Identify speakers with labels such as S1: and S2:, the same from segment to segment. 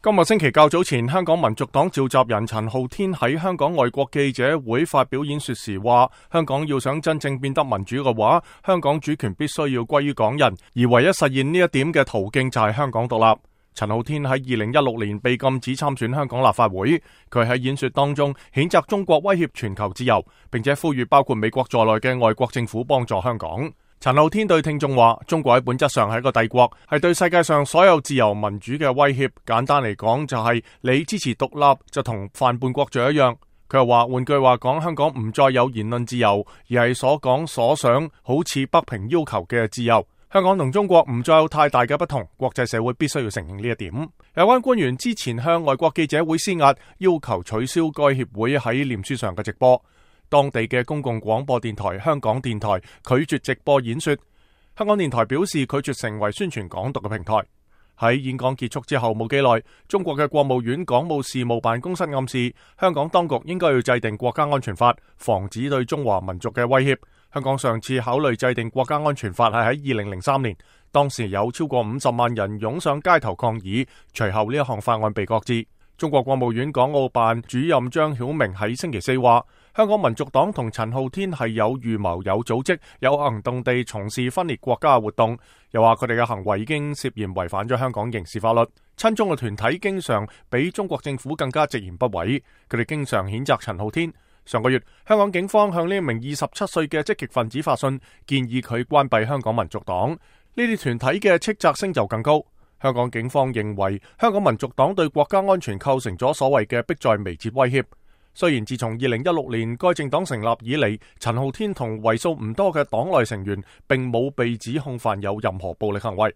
S1: 今日星期較早前，香港民族黨召集人陳浩天喺香港外國記者會發表演說時話，香港要想真正變得民主嘅話，香港主權必須要歸於港人，而唯一實現呢一點嘅途徑就係香港獨立。陳浩天喺2016年被禁止參選香港立法會，佢喺演說當中譴責中國威脅全球自由，並且呼籲包括美國在內嘅外國政府幫助香港。陳浩天對聽眾話，中國喺本質上係一個帝國，係對世界上所有自由民主嘅威脅。簡單嚟講就係你支持獨立就同犯叛國罪一樣。佢又話，換句話講，香港唔再有言論自由，而係所講所想好似北平要求嘅自由。香港同中國唔再有太大嘅不同，國際社會必須要承認呢一點。有關官員之前向外國記者會施壓，要求取消該協會喺臉書上嘅直播。當地嘅公共廣播電台香港電台拒絕直播演說，香港電台表示拒絕成為宣傳港獨嘅平台。喺演講結束之後冇幾耐，中國嘅國務院港務事務辦公室暗示，香港當局應該要制定國家安全法，防止對中華民族嘅威脅。香港上次考慮制定國家安全法係喺2003年，當時有超過50萬人湧上街頭抗議，隨後呢一項法案被擱置。中國國務院港澳辦主任張曉明喺星期四話，香港民族黨同陳浩天係有預謀、有組織、有行動地從事分裂國家嘅活動，又話佢哋嘅行為已經涉嫌違反咗香港刑事法律。親中嘅團體經常比中國政府更加直言不諱，佢哋經常譴責陳浩天。上個月，香港警方向呢名27歲嘅積極分子發信，建議佢關閉香港民族黨。呢啲團體嘅斥責聲就更高。香港警方認為，香港民族黨對國家安全構成咗所謂嘅迫在眉睫威脅。雖然自從2016年該政黨成立以嚟，陳浩天同為數唔多嘅黨內成員並冇被指控犯有任何暴力行為。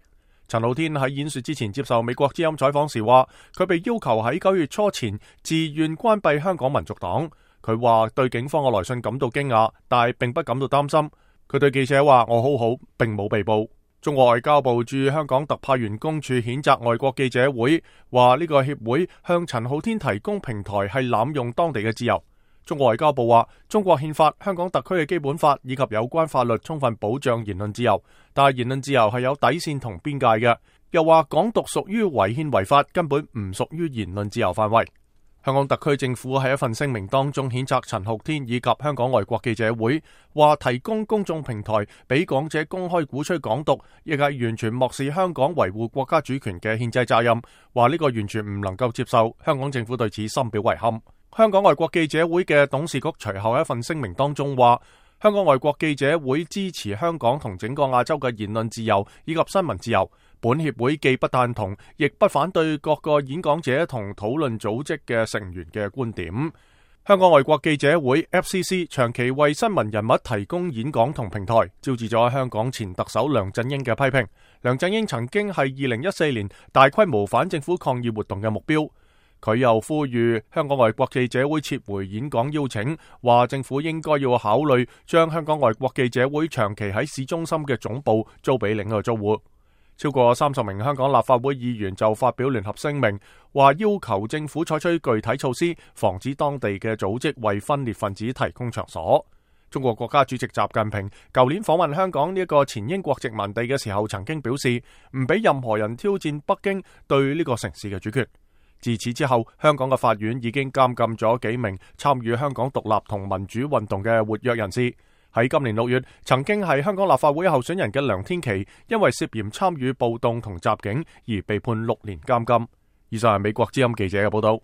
S1: 陳浩天喺演說之前接受美國之音採訪時話，佢被要求喺9月初前自願關閉香港民族黨。佢話對警方嘅來信感到驚訝，但係並不感到擔心。佢對記者話，我好好，並冇被捕。中國外交部駐香港特派員公署譴責外國記者會，話呢個協會向陳浩天提供平台係濫用當地嘅自由。中國外交部話，中國憲法、香港特區嘅基本法以及有關法律充分保障言論自由，但係言論自由係有底線同邊界嘅。又話港獨屬於違憲違法，根本唔屬於言論自由範圍。香港特區政府喺一份聲明當中譴責陳浩天以及香港外國記者會，話提供公眾平台俾講者公開鼓吹港獨，亦係完全漠視香港維護國家主權嘅憲制責任，話呢個完全唔能夠接受。香港政府對此深表遺憾。香港外國記者會嘅董事局隨後一份聲明當中話，香港外國記者會支持香港同整個亞洲嘅言論自由以及新聞自由。本協會既不贊同，亦不反對各個演講者同討論組織嘅成員嘅觀點。香港外國記者會 FCC 長期為新聞人物提供演講同平台，招致咗香港前特首梁振英嘅批評。梁振英曾經係2014年大規模反政府抗議活動嘅目標。佢又呼籲香港外國記者會撤回演講邀請，話政府應該要考慮將香港外國記者會長期喺市中心嘅總部租俾另一個租戶。超過30名香港立法會議員就發表聯合聲明，話要求政府採取具體措施，防止當地嘅組織為分裂分子提供場所。中國國家主席習近平舊年訪問香港呢一個前英國殖民地嘅時候，曾經表示唔俾任何人挑戰北京對呢個城市嘅主權。自此之後，香港嘅法院已經監禁咗幾名參與香港獨立同民主運動嘅活躍人士。喺今年6月，曾經係香港立法會候選人嘅梁天琦，因為涉嫌參與暴動同襲警而被判6年監禁。以上係美國之音記者嘅報道。